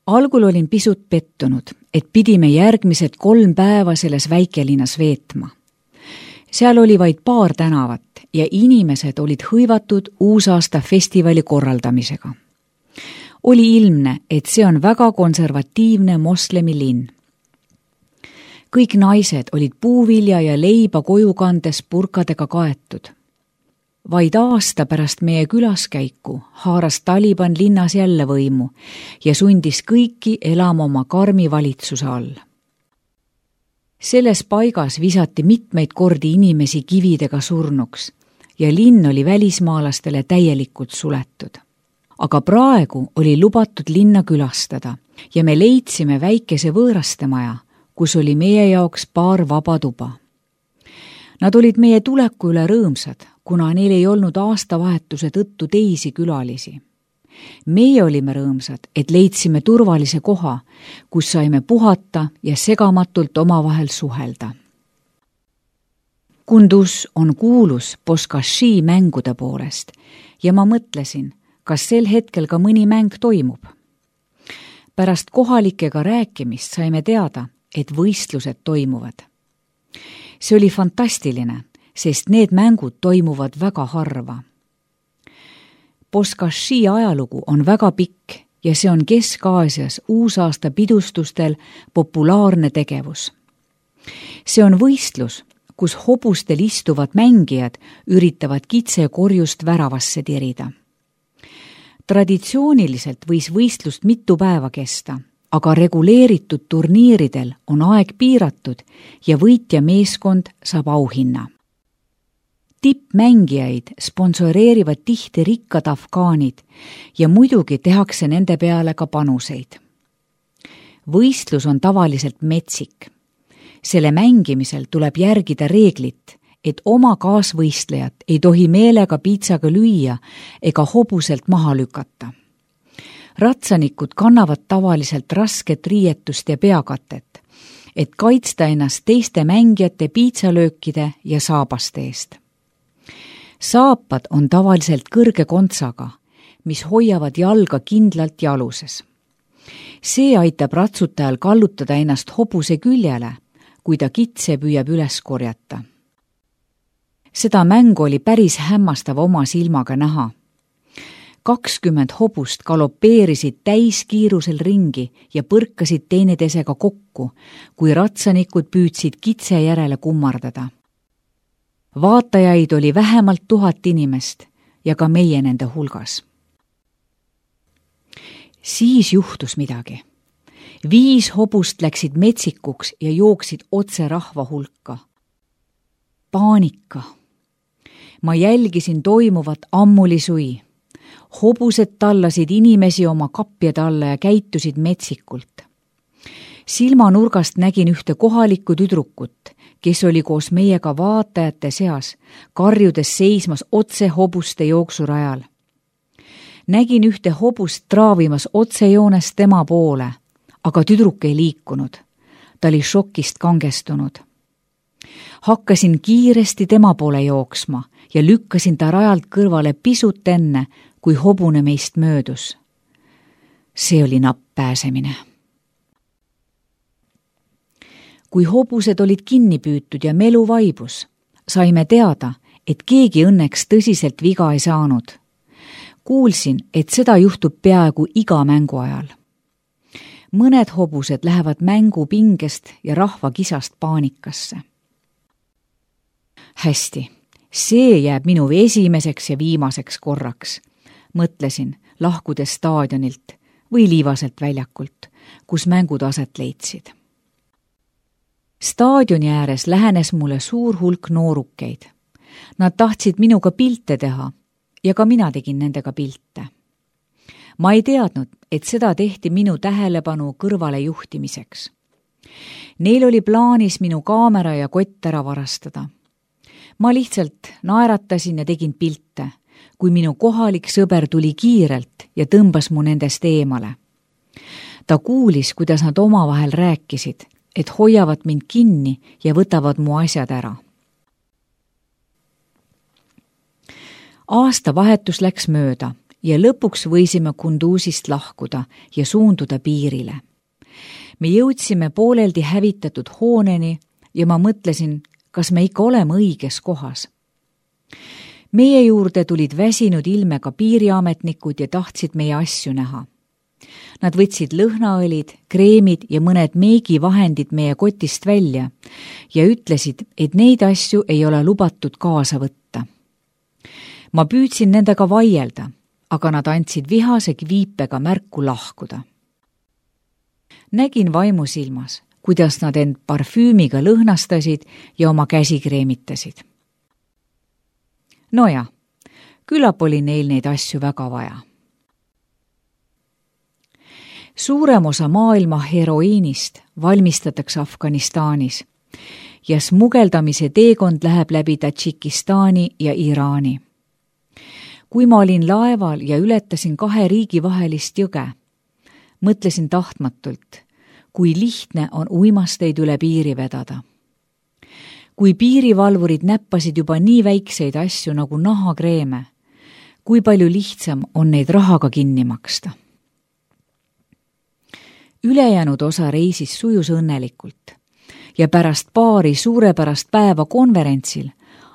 Algul olin pisut pettunud, et pidime järgmised 3 päeva selles väikelinnas veetma. Seal oli vaid paar tänavat ja inimesed olid hõivatud uusaasta festivali korraldamisega. Oli ilmne, et see on väga konservatiivne moslemi linn. Kõik naised olid puuvilja ja leiba koju kandes purkadega kaetud. Vaid aasta pärast meie külaskäiku haaras Taliban linnas jälle võimu ja sundis kõiki elama oma karmi valitsuse all. Selles paigas visati mitmeid kordi inimesi kividega surnuks ja linn oli välismaalastele täielikult suletud. Aga praegu oli lubatud linna külastada ja me leidsime väikese võõrastemaja, kus oli meie jaoks paar vaba tuba. Nad olid meie tuleku üle rõõmsad, kuna neil ei olnud aastavahetuse tõttu teisi külalisi. Meie olime rõõmsad, et leidsime turvalise koha, kus saime puhata ja segamatult omavahel suhelda. Kunduz on kuulus Bozkazhi mängude poolest ja ma mõtlesin, kas sel hetkel ka mõni mäng toimub. Pärast kohalikega rääkimist saime teada, et võistlused toimuvad. See oli fantastiline, sest need mängud toimuvad väga harva. Bozkazhi ajalugu on väga pikk ja see on Kesk-Aasias uusaasta pidustustel populaarne tegevus. See on võistlus, kus hobustel istuvad mängijad üritavad kitsekorjust väravasse tirida. Traditsiooniliselt võis võistlust mitu päeva kesta, aga reguleeritud turniiridel on aeg piiratud ja võitja meeskond saab auhinna. Tippmängijaid sponsoreerivad tihti rikkad afgaanid ja muidugi tehakse nende peale ka panuseid. Võistlus on tavaliselt metsik. Selle mängimisel tuleb järgida reeglit, et oma kaasvõistlejat ei tohi meelega piitsaga lüüa ega hobuselt maha lükata. Ratsanikud kannavad tavaliselt rasket riietust ja peakatet, et kaitsta ennast teiste mängijate piitsalöökide ja saabaste eest. Saapad on tavaliselt kõrge kontsaga, mis hoiavad jalga kindlalt jaluses. See aitab ratsutajal kallutada ennast hobuse küljele, kui ta kitse püüab üles korjata. Seda mängu oli päris hämmastav oma silmaga näha. 20 hobust galopeerisid täiskiirusel ringi ja põrkasid teineteisega kokku, kui ratsanikud püüdsid kitse järele kummardada. Vaatajaid oli vähemalt 1000 inimest ja ka meie nende hulgas. Siis juhtus midagi. 5 hobust läksid metsikuks ja jooksid otse rahva hulka. Paanika. Ma jälgisin toimuvat ammuli sui. Hobused tallasid inimesi oma kapjade alla ja käitusid metsikult. Silmanurgast nägin ühte kohalikku tüdrukut, kes oli koos meiega vaatajate seas, karjudes seismas otse hobuste jooksurajal. Nägin ühte hobust traavimas otsejoones tema poole, aga tüdruk ei liikunud. Ta oli šokist kangestunud. Hakkasin kiiresti tema poole jooksma ja lükkasin ta rajalt kõrvale pisut enne, kui hobune meist möödus. See oli napp pääsemine. Kui hobused olid kinni püütud ja melu vaibus, saime teada, et keegi õnneks tõsiselt viga ei saanud. Kuulsin, et seda juhtub peaaegu iga mängu ajal. Mõned hobused lähevad mängu pingest ja rahvakisast paanikasse. Hästi, see jääb minu esimeseks ja viimaseks korraks, mõtlesin, lahkudes staadionilt või liivaselt väljakult, kus mängud aset leidsid. Staadioni ääres lähenes mulle suur hulk noorukeid. Nad tahtsid minuga pilte teha ja ka mina tegin nendega pilte. Ma ei teadnud, et seda tehti minu tähelepanu kõrvale juhtimiseks. Neil oli plaanis minu kaamera ja kott ära varastada. Ma lihtsalt naeratasin ja tegin pilte, kui minu kohalik sõber tuli kiirelt ja tõmbas mu nendest eemale. Ta kuulis, kuidas nad omavahel rääkisid, et hoiavad mind kinni ja võtavad mu asjad ära. Aastavahetus läks mööda ja lõpuks võisime Kunduzist lahkuda ja suunduda piirile. Me jõudsime pooleldi hävitatud hooneni ja ma mõtlesin, kas me ikka oleme õiges kohas. Meie juurde tulid väsinud ilmega piiriametnikud ja tahtsid meie asju näha. Nad võtsid lõhnaõlid, kreemid ja mõned meigivahendid meie kotist välja ja ütlesid, et neid asju ei ole lubatud kaasa võtta. Ma püüdsin nendega vaielda, aga nad andsid vihase viipega märku lahkuda. Nägin vaimusilmas, kuidas nad end parfüümiga lõhnastasid ja oma käsi kreemitasid. Noja, küllap oli neil neid asju väga vaja. Suurem osa maailma heroiinist valmistatakse Afganistanis ja smugeldamise teekond läheb läbi Tadžikistani ja Iraani. Kui ma olin laeval ja ületasin 2 riigi vahelist jõge, mõtlesin tahtmatult, kui lihtne on uimasteid üle piiri vedada. Kui piirivalvurid näppasid juba nii väikseid asju nagu nahakreeme, kui palju lihtsam on neid rahaga kinni maksta. Ülejäänud osa reisis sujus õnnelikult ja pärast paari suurepärast päeva konverentsil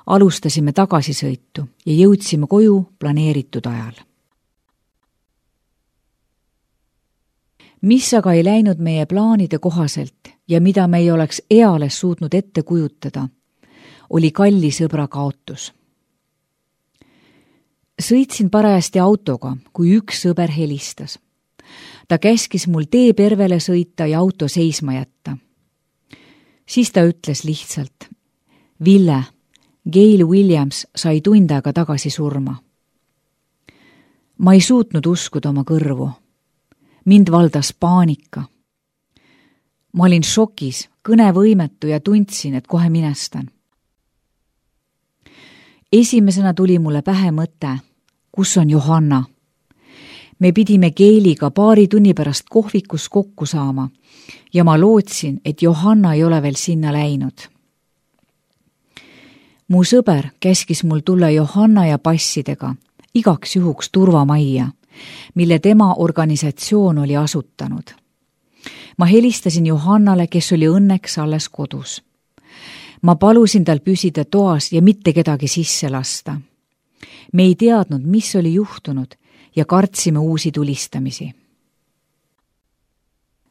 alustasime tagasisõitu ja jõudsime koju planeeritud ajal. Mis aga ei läinud meie plaanide kohaselt ja mida me ei oleks eales suutnud ette kujutada, oli kalli sõbra kaotus. Sõitsin parajasti autoga, kui üks sõber helistas. Ta käskis mul teepervele sõita ja auto seisma jätta. Siis ta ütles lihtsalt, Ville, Gail Williams sai tund aega tagasi surma. Ma ei suutnud uskuda oma kõrvu. Mind valdas paanika. Ma olin šokis, kõnevõimetu ja tundsin, et kohe minestan. Esimesena tuli mulle pähe mõte, kus on Johanna. Me pidime Gailiga 2 tunni pärast kohvikus kokku saama ja ma lootsin, et Johanna ei ole veel sinna läinud. Mu sõber käskis mul tulla Johanna ja passidega igaks juhuks turvamajja, mille tema organisatsioon oli asutanud. Ma helistasin Johannale, kes oli õnneks alles kodus. Ma palusin tal püsida toas ja mitte kedagi sisse lasta. Me ei teadnud, mis oli juhtunud ja kartsime uusi tulistamisi.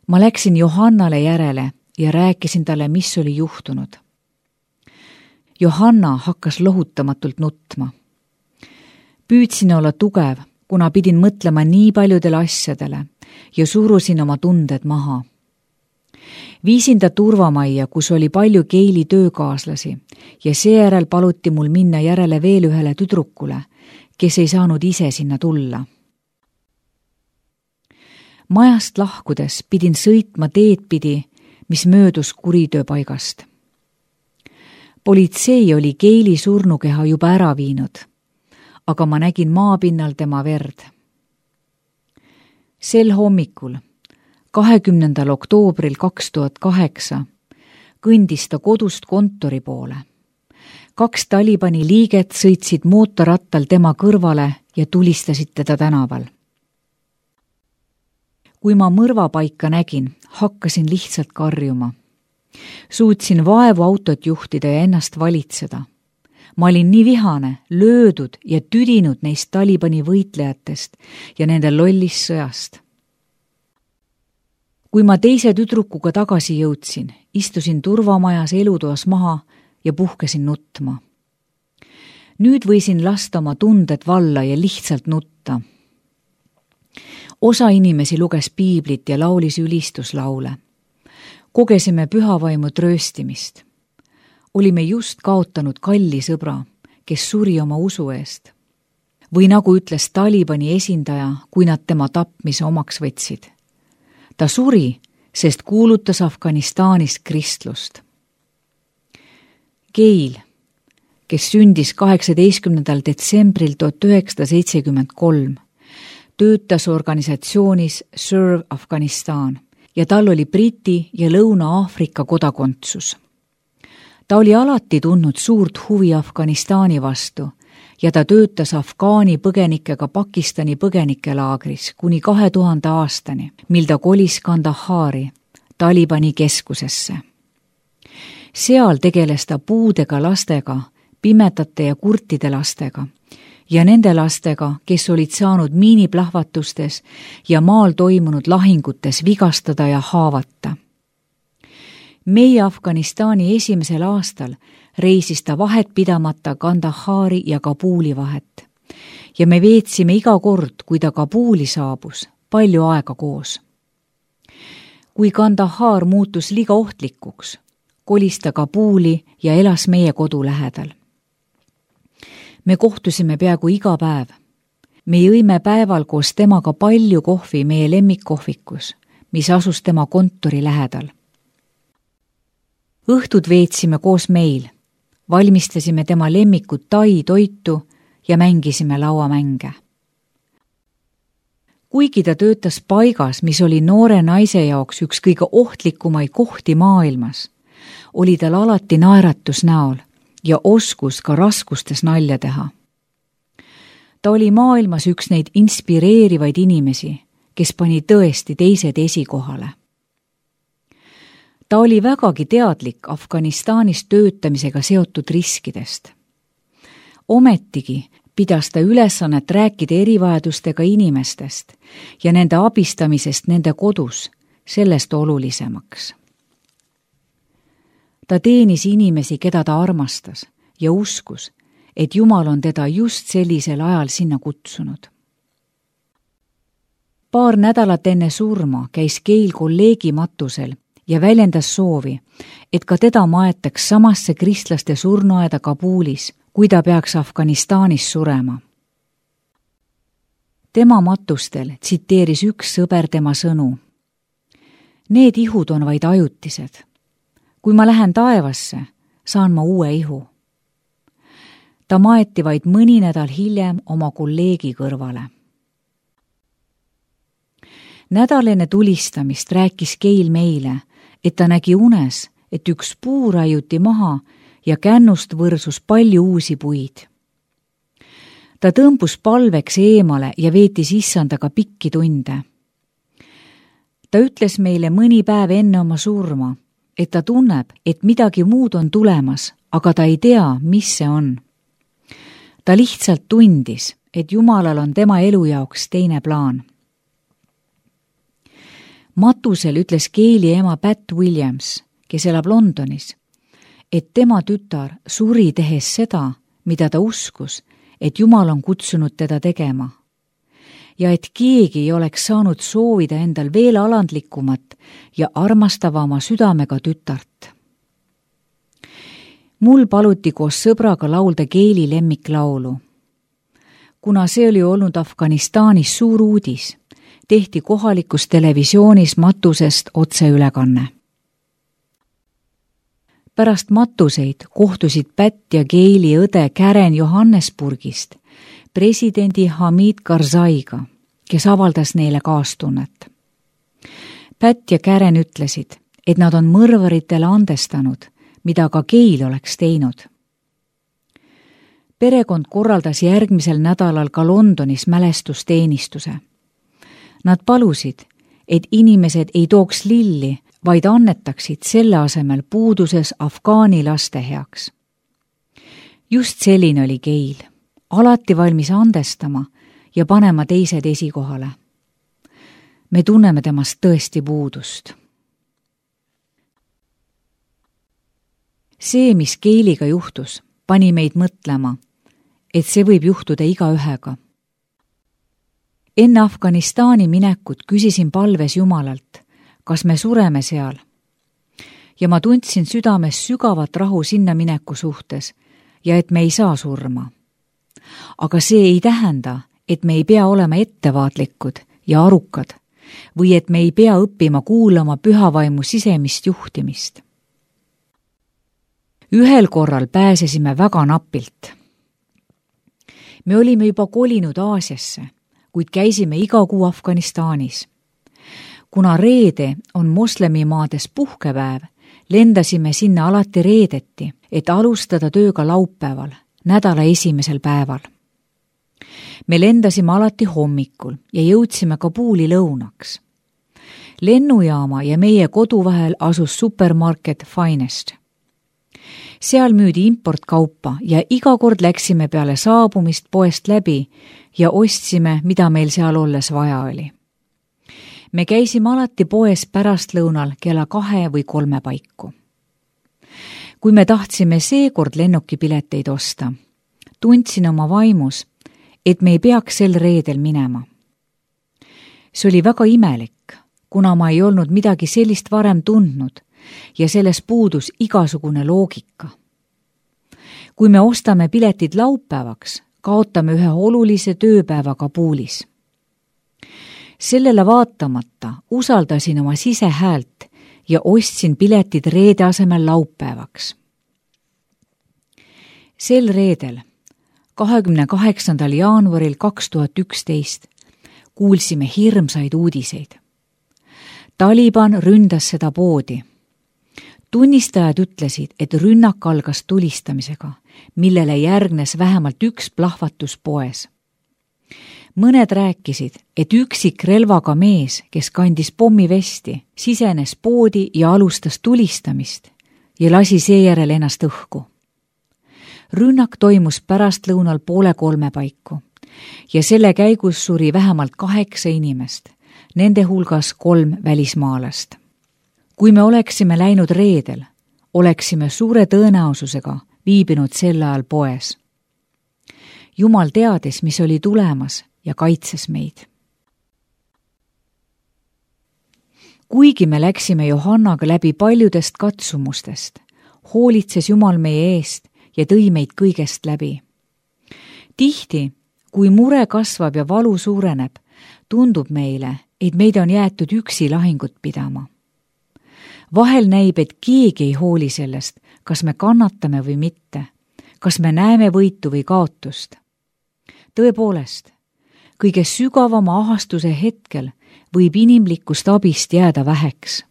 Ma läksin Johannale järele ja rääkisin talle, mis oli juhtunud. Johanna hakkas lohutamatult nutma. Püüdsin olla tugev, kuna pidin mõtlema nii paljudele asjadele ja surusin oma tunded maha. Viisin ta turvamajja, kus oli palju Gaili töökaaslasi ja seejärel paluti mul minna järele veel ühele tüdrukule, kes ei saanud ise sinna tulla. Majast lahkudes pidin sõitma teed pidi, mis möödus kuritööpaigast. Politsei oli Gaili surnukeha juba ära viinud, aga ma nägin maapinnal tema verd. Sel hommikul, 20. oktoobril 2008, kõndis ta kodust kontori poole. 2 Talibani liiget sõitsid mootorrattal tema kõrvale ja tulistasid teda tänaval. Kui ma mõrvapaika nägin, hakkasin lihtsalt karjuma. Suutsin vaevu autot juhtida ja ennast valitseda. Ma olin nii vihane, löödud ja tüdinud neist Talibani võitlejatest ja nende lollist sõjast. Kui ma teise tüdrukuga tagasi jõudsin, istusin turvamajas elutoas maha ja puhkesin nutma. Nüüd võisin lasta oma tunded valla ja lihtsalt nutta. Osa inimesi luges piiblit ja laulis ülistuslaule. Kogesime pühavaimu trööstimist. Olime just kaotanud kalli sõbra, kes suri oma usu eest. Või nagu ütles Talibani esindaja, kui nad tema tapmise omaks võtsid. Ta suri, sest kuulutas Afganistanis kristlust. Gail, kes sündis 18. detsembril 1973, töötas organisatsioonis Serve Afganistan ja tal oli Briti ja Lõuna-Aafrika kodakondsus. Ta oli alati tundnud suurt huvi Afganistani vastu ja ta töötas Afgaani põgenikega Pakistani põgenikelaagris kuni 2000 aastani, mil ta kolis Kandahari, Talibani keskusesse. Seal tegeles ta puudega lastega, pimedate ja kurtide lastega ja nende lastega, kes olid saanud miiniplahvatustes ja maal toimunud lahingutes vigastada ja haavata. Meie Afganistani esimesel aastal reisis ta vahet pidamata Kandahari ja Kabuli vahet ja me veetsime iga kord, kui ta Kabuli saabus, palju aega koos. Kui Kandahar muutus liiga ohtlikuks, kolis ta Kabuli ja elas meie kodu lähedal. Me kohtusime peaaegu iga päev. Me jõime päeval koos temaga palju kohvi meie lemmikkohvikus, mis asus tema kontori lähedal. Õhtud veetsime koos meil, valmistasime tema lemmikut tai toitu ja mängisime lauamänge. Kuigi ta töötas paigas, mis oli noore naise jaoks üks kõige ohtlikumaid kohti maailmas, oli tal alati naeratus näol ja oskus ka raskustes nalja teha. Ta oli maailmas üks neid inspireerivaid inimesi, kes pani tõesti teised esikohale. Ta oli vägagi teadlik Afganistanis töötamisega seotud riskidest. Ometigi pidas ta ülesannet rääkida erivajadustega inimestest ja nende abistamisest nende kodus, sellest olulisemaks. Ta teenis inimesi, keda ta armastas ja uskus, et Jumal on teda just sellisel ajal sinna kutsunud. Paar nädalat enne surma käis Gail kolleegi matusel ja väljendas soovi, et ka teda maetaks samasse kristlaste surnuaeda Kabulis, kui ta peaks Afganistanis surema. Tema matustel tsiteeris üks sõber tema sõnu. Need ihud on vaid ajutised. Kui ma lähen taevasse, saan ma uue ihu. Ta maeti vaid mõni nädal hiljem oma kolleegi kõrvale. Nädal enne tulistamist rääkis Gail meile, et ta nägi unes, et üks puu raiuti maha ja kännust võrsus palju uusi puid. Ta tõmbus palveks eemale ja veetis issandaga pikki tunde. Ta ütles meile mõni päev enne oma surma, et ta tunneb, et midagi muud on tulemas, aga ta ei tea, mis see on. Ta lihtsalt tundis, et Jumalal on tema elu jaoks teine plaan. Matusel ütles Gaili ema Pat Williams, kes elab Londonis, et tema tütar suri tehes seda, mida ta uskus, et Jumal on kutsunud teda tegema. Ja et keegi ei oleks saanud soovida endal veel alandlikumat ja armastavama südamega tütart. Mul paluti koos sõbraga laulda Gaili lemmiklaulu. Kuna see oli olnud Afganistanis suur uudis, tehti kohalikus televisioonis matusest otseülekanne. Pärast matuseid kohtusid Pat ja Gaili õde Karen Johannesburgist presidendi Hamid Karzaiga, kes avaldas neile kaastunnet. Pat ja Karen ütlesid, et nad on mõrvaritele andestanud, mida ka Gail oleks teinud. Perekond korraldas järgmisel nädalal ka Londonis mälestusteenistuse. Nad palusid, et inimesed ei tooks lilli, vaid annetaksid selle asemel puuduses Afgaani laste heaks. Just selline oli Gail, alati valmis andestama ja panema teised esikohale. Me tunneme temast tõesti puudust. See, mis Gailiga juhtus, pani meid mõtlema, et see võib juhtuda igaühega. Enne Afganistani minekut küsisin palves Jumalalt, kas me sureme seal. Ja ma tundsin südames sügavat rahu sinna mineku suhtes ja et me ei saa surma. Aga see ei tähenda, et me ei pea olema ettevaatlikud ja arukad või et me ei pea õppima kuulama pühavaimu sisemist juhtimist. Ühel korral pääsesime väga napilt. Me olime juba kolinud Aasiasse, kuid käisime iga kuu Afganistanis. Kuna reede on moslemimaades puhkepäev, lendasime sinna alati reedeti, et alustada tööga laupäeval nädala esimesel päeval. Me lendasime alati hommikul ja jõudsime Kabuli lõunaks. Lennujaama ja meie kodu vahel asus supermarket Finest. Seal müüdi importkaupa ja iga kord läksime peale saabumist poest läbi ja ostsime, mida meil seal olles vaja oli. Me käisime alati poes pärastlõunal kella 2 või 3 paiku. Kui me tahtsime seekord lennukipileteid osta, tundsin oma vaimus, et me ei peaks sel reedel minema. See oli väga imelik, kuna ma ei olnud midagi sellist varem tundnud ja selles puudus igasugune loogika. Kui me ostame piletid laupäevaks, kaotame ühe olulise tööpäeva Kabulis. Sellele vaatamata usaldasin oma sisehäält ja ostsin piletid reede asemel laupäevaks. Sel reedel, 28. jaanuaril 2011, kuulsime hirmsaid uudiseid. Taliban ründas seda poodi. Tunnistajad ütlesid, et rünnak algas tulistamisega, millele järgnes vähemalt üks plahvatus poes. Mõned rääkisid, et üksik relvaga mees, kes kandis pommivesti, sisenes poodi ja alustas tulistamist ja lasi seejärel ennast õhku. Rünnak toimus pärastlõunal 2:30 paiku ja selle käigus suri vähemalt 8 inimest, nende hulgas 3 välismaalast. Kui me oleksime läinud reedel, oleksime suure tõenäosusega viibinud sel ajal poes. Jumal teadis, mis oli tulemas ja kaitses meid. Kuigi me läksime Johannaga läbi paljudest katsumustest, hoolitses Jumal meie eest ja tõi meid kõigest läbi. Tihti, kui mure kasvab ja valu suureneb, tundub meile, et meid on jäetud üksi lahingut pidama. Vahel näib, et keegi ei hooli sellest, kas me kannatame või mitte, kas me näeme võitu või kaotust. Tõepoolest, kõige sügavama ahastuse hetkel võib inimlikust abist jääda väheks.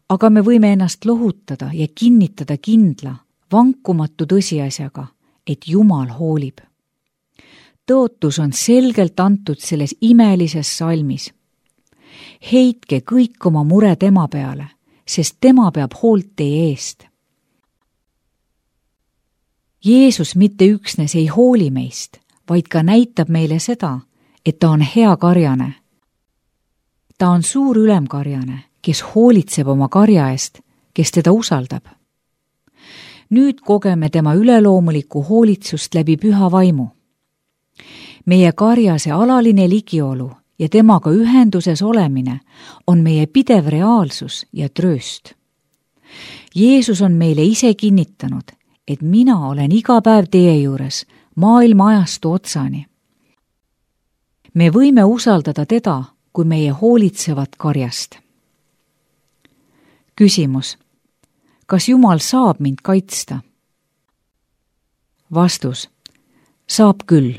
Aga me võime ennast lohutada ja kinnitada kindla, vankumatu tõsiasjaga, et Jumal hoolib. Tõotus on selgelt antud selles imelises salmis. Heitke kõik oma mure tema peale, sest tema peab hoolt teie eest. Jeesus mitte üksnes ei hooli meist, vaid ka näitab meile seda, et ta on hea karjane. Ta on suur ülemkarjane, kes hoolitseb oma karja eest, kes teda usaldab. Nüüd kogeme tema üleloomulikku hoolitsust läbi püha vaimu. Meie karjase alaline ligiolu ja temaga ühenduses olemine on meie pidev reaalsus ja trööst. Jeesus on meile ise kinnitanud, et mina olen iga päev teie juures maailma ajastu otsani. Me võime usaldada teda, kui meie hoolitsevad karjast. Küsimus. Kas Jumal saab mind kaitsta? Vastus. Saab küll.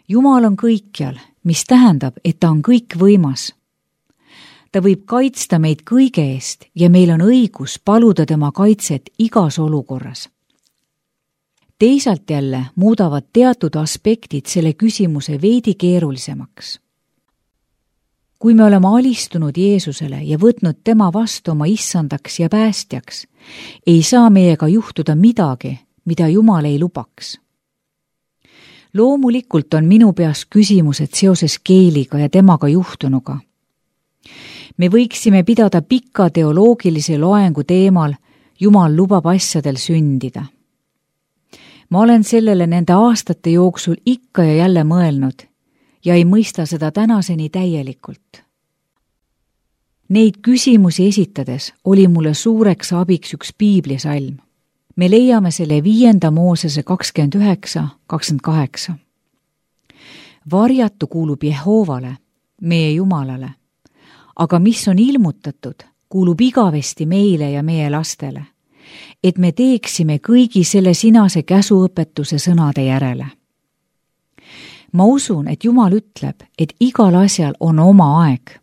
Jumal on kõikjal, mis tähendab, et ta on kõikvõimas. Ta võib kaitsta meid kõige eest ja meil on õigus paluda tema kaitset igas olukorras. Teisalt jälle muudavad teatud aspektid selle küsimuse veidi keerulisemaks. Kui me oleme alistunud Jeesusele ja võtnud tema vastu oma issandaks ja päästjaks, ei saa meiega juhtuda midagi, mida Jumal ei lubaks. Loomulikult on minu peas küsimused seoses Keeliga ja temaga juhtunuga. Me võiksime pidada pika teoloogilise loengu teemal Jumal lubab asjadel sündida. Ma olen sellele nende aastate jooksul ikka ja jälle mõelnud ja ei mõista seda tänaseni täielikult. Neid küsimusi esitades oli mulle suureks abiks üks piiblisalm. Me leiame selle 5. Moosese 29:28. Varjatu kuulub Jehoovale, meie Jumalale, aga mis on ilmutatud, kuulub igavesti meile ja meie lastele, et me teeksime kõigi selle sinase käsuõpetuse sõnade järele. Ma usun, et Jumal ütleb, et igal asjal on oma aeg.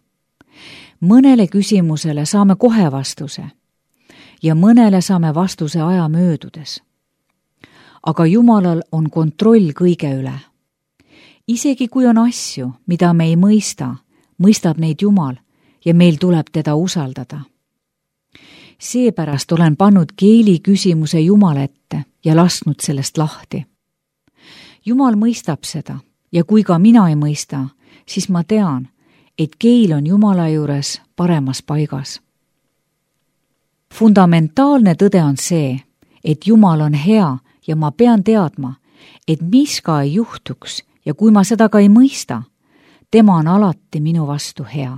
Mõnele küsimusele saame kohe vastuse ja mõnele saame vastuse aja möödudes. aga Jumalal on kontroll kõige üle. Isegi kui on asju, mida me ei mõista, mõistab neid Jumal ja meil tuleb teda usaldada. Seepärast olen pannud keeli küsimuse Jumala ette ja lasknud sellest lahti. Jumal mõistab seda ja kui ka mina ei mõista, siis ma tean, et keel on Jumala juures paremas paigas. Fundamentaalne tõde on see, et Jumal on hea ja ma pean teadma, et mis ka ei juhtuks ja kui ma seda ka ei mõista, tema on alati minu vastu hea.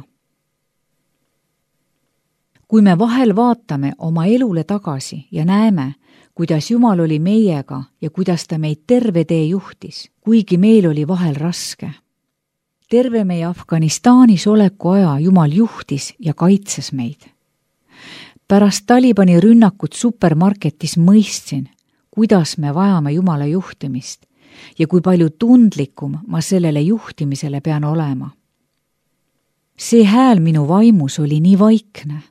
Kui me vahel vaatame oma elule tagasi ja näeme, kuidas Jumal oli meiega ja kuidas ta meid terve tee juhtis, kuigi meil oli vahel raske. Terve meie Afganistanis oleku aja Jumal juhtis ja kaitses meid. Pärast Talibani rünnakut supermarketis mõistsin, kuidas me vajame Jumala juhtimist ja kui palju tundlikum ma sellele juhtimisele pean olema. See hääl minu vaimus oli nii vaikne.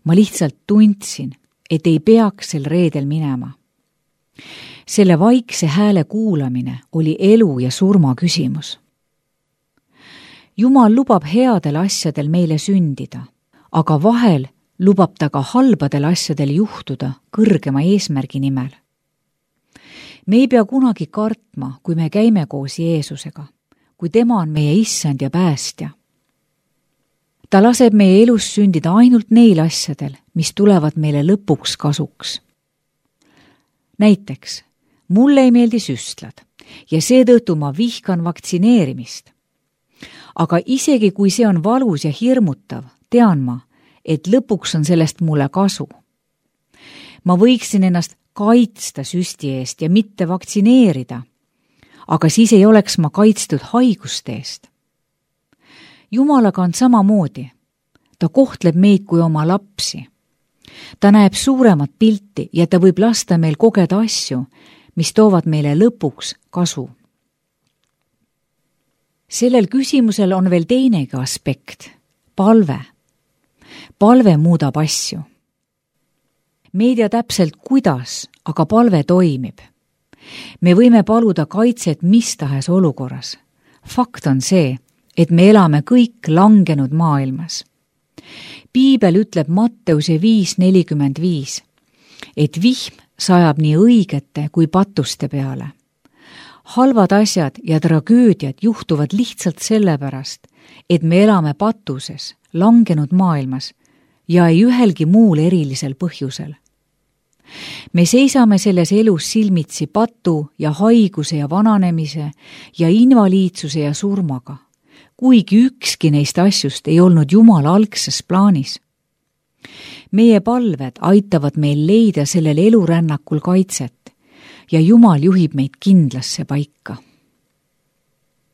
Ma lihtsalt tundsin, et ei peaks sel reedel minema. Selle vaikse hääle kuulamine oli elu ja surma küsimus. Jumal lubab headel asjadel meile sündida, aga vahel lubab ta ka halbadel asjadel juhtuda kõrgema eesmärgi nimel. Me ei pea kunagi kartma, kui me käime koos Jeesusega, kui tema on meie issand ja päästja. Ta laseb meie elus sündida ainult neil asjadel, mis tulevad meile lõpuks kasuks. Näiteks, mulle ei meeldi süstlad ja seetõttu ma vihkan vaktsineerimist. Aga isegi kui see on valus ja hirmutav, tean ma, et lõpuks on sellest mulle kasu. Ma võiksin ennast kaitsta süsti eest ja mitte vaktsineerida, aga siis ei oleks ma kaitstud haiguste eest. Jumalaga on samamoodi. Ta kohtleb meid kui oma lapsi. Ta näeb suuremat pilti ja ta võib lasta meil kogeda asju, mis toovad meile lõpuks kasu. Sellel küsimusel on veel teinegi aspekt, palve. Palve muudab asju. Me ei tea täpselt kuidas, aga palve toimib. Me võime paluda kaitset mis tahes olukorras. Fakt on see, et me elame kõik langenud maailmas. Piibel ütleb Matteuse 5:45, et vihm sajab nii õigete kui patuste peale. Halvad asjad ja tragöödiad juhtuvad lihtsalt sellepärast, et me elame patuses, langenud maailmas ja ei ühelgi muul erilisel põhjusel. Me seisame selles elus silmitsi patu ja haiguse ja vananemise ja invaliidsuse ja surmaga, kuigi ükski neist asjust ei olnud Jumala algses plaanis. Meie palved aitavad meil leida sellel elurännakul kaitset ja Jumal juhib meid kindlasse paika.